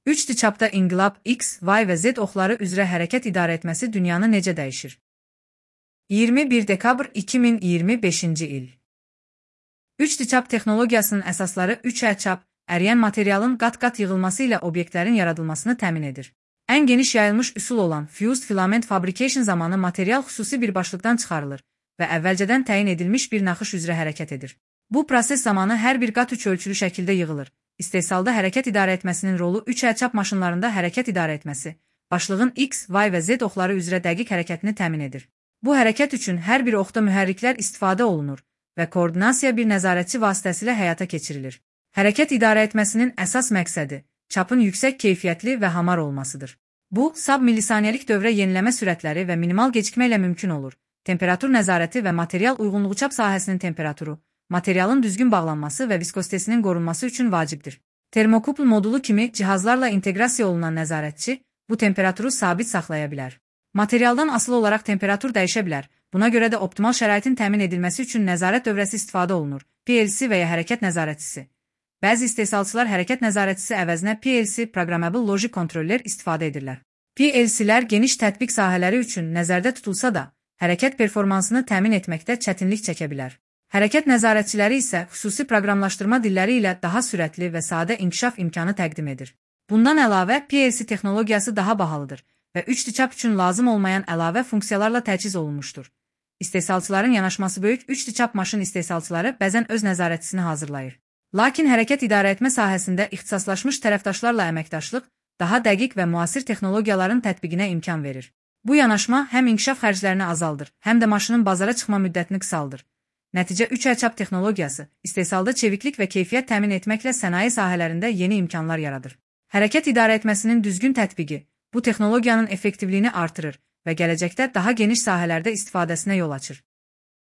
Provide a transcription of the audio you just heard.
3D çapda inqilab X, Y və Z oxları üzrə hərəkət idarə etməsi dünyanı necə dəyişir? 21 dekabr 2025-ci il. 3D çap texnologiyasının əsasları 3D çap, əriyən materialın qat-qat yığılması ilə obyektlərin yaradılmasını təmin edir. Ən geniş yayılmış üsul olan Fused Filament Fabrication zamanı material xüsusi bir başlıqdan çıxarılır və əvvəlcədən təyin edilmiş bir naxış üzrə hərəkət edir. Bu proses zamanı hər bir qat 3 ölçülü şəkildə yığılır. İstehsalda hərəkət idarə etməsinin rolu 3D çap maşınlarında hərəkət idarə etməsi, başlığın X, Y və Z oxları üzrə dəqiq hərəkətini təmin edir. Bu hərəkət üçün hər bir oxda mühərriklər istifadə olunur və koordinasiya bir nəzarətçi vasitəsilə həyata keçirilir. Hərəkət idarə etməsinin əsas məqsədi çapın yüksək keyfiyyətli və hamar olmasıdır. Bu, sub-millisaniyəlik dövrə yeniləmə sürətləri və minimal gecikmə ilə mümkün olur. Temperatur nəzarəti və material uyğunluğu çap sahəsinin temperaturu, materialın düzgün bağlanması və viskozitesinin qorunması üçün vacibdir. Termokupl modulu kimi cihazlarla inteqrasiya olunan nəzarətçi bu temperaturu sabit saxlaya bilər. Materialdan asılı olaraq temperatur dəyişə bilər. Buna görə də optimal şəraitin təmin edilməsi üçün nəzarət dövrəsi istifadə olunur. PLC və ya hərəkət nəzarətçisi. Bəzi istehsalçılar hərəkət nəzarətçisi əvəzinə PLC Programmable Logic Controller istifadə edirlər. PLC-lər geniş tətbiq sahələri üçün nəzərdə tutulsa da, hərəkət performansını təmin etməkdə çətinlik çəkə bilər. Hərəkət nəzarətçiləri isə xüsusi proqramlaşdırma dilləri ilə daha sürətli və sadə inkişaf imkanı təqdim edir. Bundan əlavə, PLC texnologiyası daha bahalıdır və 3D çap üçün lazım olmayan əlavə funksiyalarla təchiz olunmuşdur. İstehsalçıların yanaşması böyük 3D çap maşın istehsalçıları bəzən öz nəzarətçisini hazırlayır. Lakin hərəkət idarə etmə sahəsində ixtisaslaşmış tərəfdaşlarla əməkdaşlıq daha dəqiq və müasir texnologiyaların tətbiqinə imkan verir. Bu yanaşma həm inkişaf xərclərini azaldır, həm də maşının bazara çıxma müddətini qısaldır. Nəticə 3D çap texnologiyası istehsalda çeviklik və keyfiyyət təmin etməklə sənaye sahələrində yeni imkanlar yaradır. Hərəkət idarə etməsinin düzgün tətbiqi bu texnologiyanın effektivliyini artırır və gələcəkdə daha geniş sahələrdə istifadəsinə yol açır.